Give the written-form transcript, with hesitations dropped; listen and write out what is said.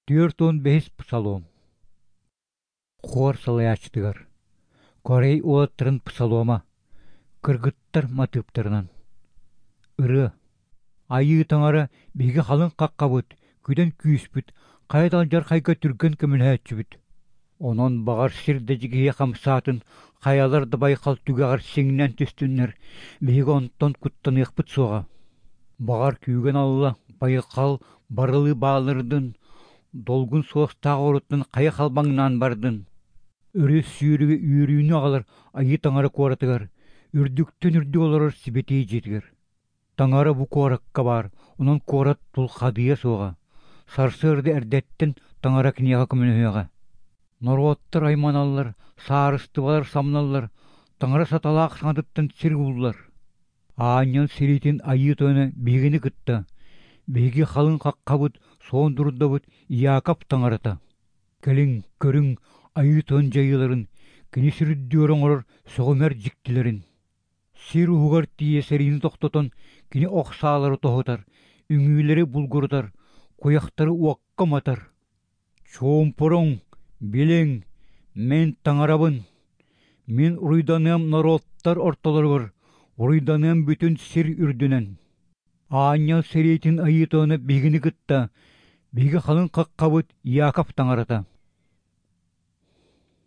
45-ис Псалом. Хор салайааччытыгар. Корей уолаттарын псалома. Кыргыттар матыыптарынан. Ырыа. Айыы Таҥара биһиги халыҥ хаххабыт, күдэн күүспүт, хайа да алдьархайга түргэн көмөлөһөөччүбүт. Онон баҕар сир да дьигиһийэ хамсаатын, хайалар да байҕал түгэҕэр сиҥнэн түстүннэр, биһиги онтон куттаныахпыт суоҕа. Баҕар күүгэн алла, байҕал барылыы баалырдын, долгун суостаах оруттан хайа халбаҥнаан бардын. Өрүс сүүрүгэ үөрүүнү аҕалар Айыы Таҥара куоратыгар, үрдүктэн үрдүк олорор сибэтиэй дьиэтигэр. Таҥара бу куоракка баар, онон куорат тулхадыйа суоҕа. Сарсыарда эрдэттэн Таҥара киниэхэ көмөлөһүөҕэ. Норуоттар айманаллар, саарыстыбалар самналлар, Таҥара саталаах саҥатыттан сир ууллар. Аанньал сэриитин Айыы Тойоно биһигини кытта, биһиги халыҥ хаххабыт, суон дурдабыт Иаков Таҥарата. Кэлиҥ, көрүҥ Айыы Тойон дьайыыларын, кини сир үрдүгэр оҥорор сөҕүмэр дьиктилэрин. Сир уһугар тиийэ сэриини тохтотон кини ох саалары тоһутар, үҥүүлэри булгурутар, куйахтары уокка уматар. Чуумпуруҥ, билиҥ, мин таҥарабын. Мин уруйданыам норуоттар ортолоругар, уруйданыам бүтүн сир үрдүнэн. Аанньал сэриитин Айыы Тойоно биһигини кытта, биһиги халыҥ хаххабыт Иаков таҥарата.